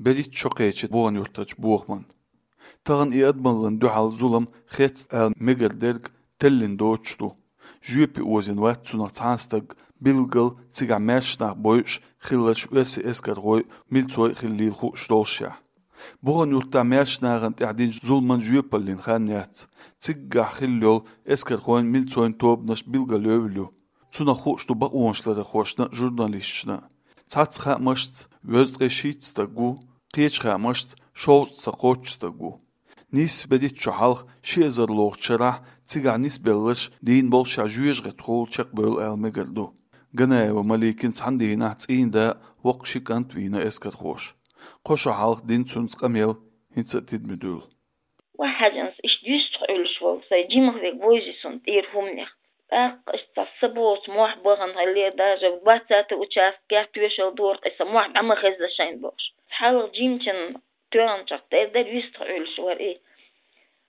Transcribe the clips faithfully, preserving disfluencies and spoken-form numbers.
БерхӀитта шо кхечи Бухан-Юртарчу бохаман. Тахана и адамаллин дуьхьал зулам хецна ала мегар дерг теллина доцуш ду. Жоьпе озийна вац цунах цхьа а стаг, билггал цигахь маьрша нах бойуш хилларш оьрсийн эскархой, милцой а хиллийла хууш доллушехь. Бухан-Юртахь маьрша нахана тӀехь динчу зуламан жоьпаллин хан яц. Циггахь хилла йолу эскархойн, милцойн тобанаш билгалйевлла ю. Цунах хууш ду бакъонашларъярхошна а, журналисташна а. Цхьацца хаамашца, везткъе шийтта стаг ву, кхечу хаамашца, шовзткъа сан кхоччуш стаг ву. Нийсса берхӀитта шо хьалха, ши эзарлагӀчу шарахь, цигахь нисбелларш дийна боллушехь жоьжахатехула чекхбевлла ала мегар ду. Ганаева Маликин цхьана дийнахь цӀийнда а, воккха ши кӀант а вийна эскархоша. Кхо шо хьалха дина цуьнца къамел хӀинца а тидаме дуьллу. Ваьхьажанца иштта юьстах Ӏуьллуш волу сайн жимах верг вовзий суна тӀера хӀуманех. ТӀаккха иштта цхьа са боцу мохь бахана хиллера, даже двадцатый участкехь тоьшалла дора-кх и сан мохь дӀа ма хезза шайна бохуш. Хьалха жимачун тоьхначех тера дара, юьстах Ӏуьллуш вара и.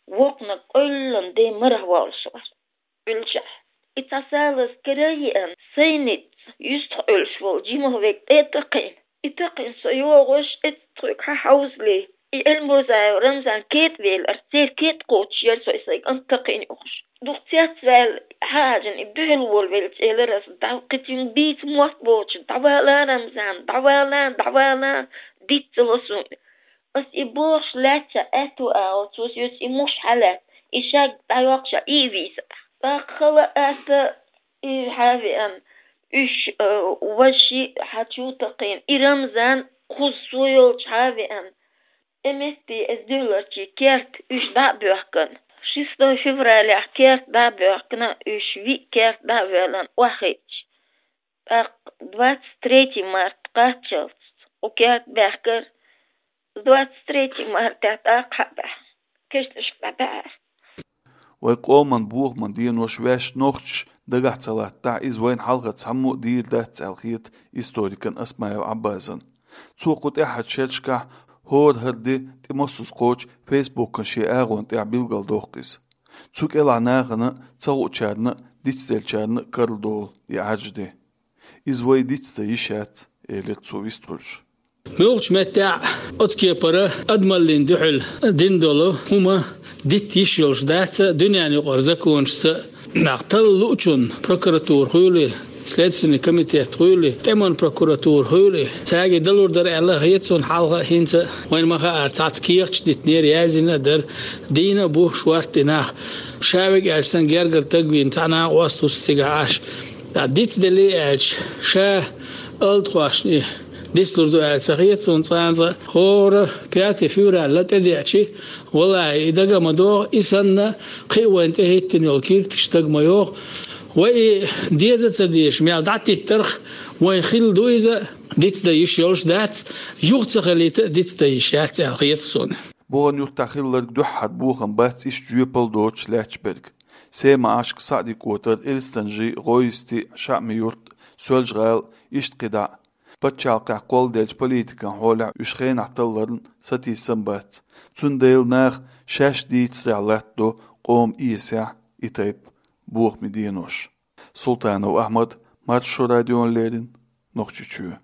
Воккханиг къевллина ден марах воллуш вара. Ӏуьллушехь, и цхьа салаза кара а еана, сайн ницкъ юьстах Ӏуьллуш волу жимах верг тӀе а такхийна. И такхийна со йогӀуш, эццахь тхоьга хьан хьовзале. И Эльмурзаев Рамзан кетӀа велира, церан кетӀа кхочуш яра со и сайн кӀант такхийна юхуш. Дукха цецваьлла, хьан хьажина и дуьхьал волавелча, элира аса, дӀа кхин цуьнга бийца мотт боцуш, дӀавала, Рамзан, дӀавала, дӀавала, диц ца ло суна. Ас и бохуш лаьттача аьтту агӀо, цо соьца и муш хьалаьцна, и шаг дӀайоккхуш а и вийца. ТӀаккха хала а атта, и хьан а веана, уьш, э, важа шиъ хьан чу а такхийна, и Рамзан кхуза со йолчу хьан а веана. Тхьаметтий эза дуьхьаларчий керта уьш дӀа а боьхкина. Шестой февралехь керта дӀа а боьхкина, уьш виъ керта дӀа а воьллина охьахиъча. ТӀаккха двадцать третий март кхаччалц кху керта баьхкира, двадцать третий мартехь тӀаккха хьабаьхьа, кешнашка дӀабаьхьара. Вайн къоман бохаман денош ваьш нохчаша дагахь ца латтахь, иза вайна хьалха цхьаммо а дийр дац аьлла хета историкана Осмаев Ӏаббасана. Цо кху тӀаьххьарчу шерашкахь хӀора хӀара де тӀе массо а кхочу фейсбукан шен агӀонна тӀехь билгалдоккху иза. Цу кӀелахь нахана а, ца хуучарна а, дицделлачарна а карладолу и Ӏаьржа де. Иза вай диц дан йиш яц, элира цо вистхуьлуш. Муьлххачу меттехь оцу кепара адамаллин дуьхьал дина долу хӀума дитта йиш йолуш дац, дуьненан юкъара законашца а, нах талла луучунна прокуратура хуьлий, следственный комитет хуьлий, тӀеман прокуратура хуьлий, цаьрга далур дара аьлла хета суна хьалха а, хӀинца а. Вайна ма-хаара, цхьацца кехаташ дитинера, яздина а дара, дийна а бу шортта и нах. Ша вега аьлча санна гергара таг вийна цхьа накъост ву цигахь Ӏаш. Ткъа дицделлий аьлча, ша алтхошна и дицлур ду аьлла ца хета суна цкъа а. ХӀора пятый февраль тӀедеъча, валлахӀи, и дага а ма догӀу, и санна кхин а вайна тӀехӀиттина йолу киртигаш дага ма йогӀу. Вай и деза а ца дезаш мел дӀатиттарх, вайн хилла ду иза, диц дан йиш йолуш дац, юха ца хилийта а диц дан йиш яц аьлла хета суна. Бухан-Юртахь хилларг дуьххьара бохам бац иштта жоьпалла доцуш лаьтташ берг. Сема-Ӏашка, СаӀди-КӀотар, Элистанжи, ГӀойсти, ШаӀми-Юрт, Соьлжа-ГӀала, иштта кхидӀа а. Пачхьалкхехь кхолладеллачу политикан хьолехь уьш хенахь талларна сатийсам бац. Цундела наха шаьш дийцарехь латтадо къоман эсехь и тайпа бохаман денош. Султанов Ахьмад, Маршо радиона леррина, Нохчийчоь.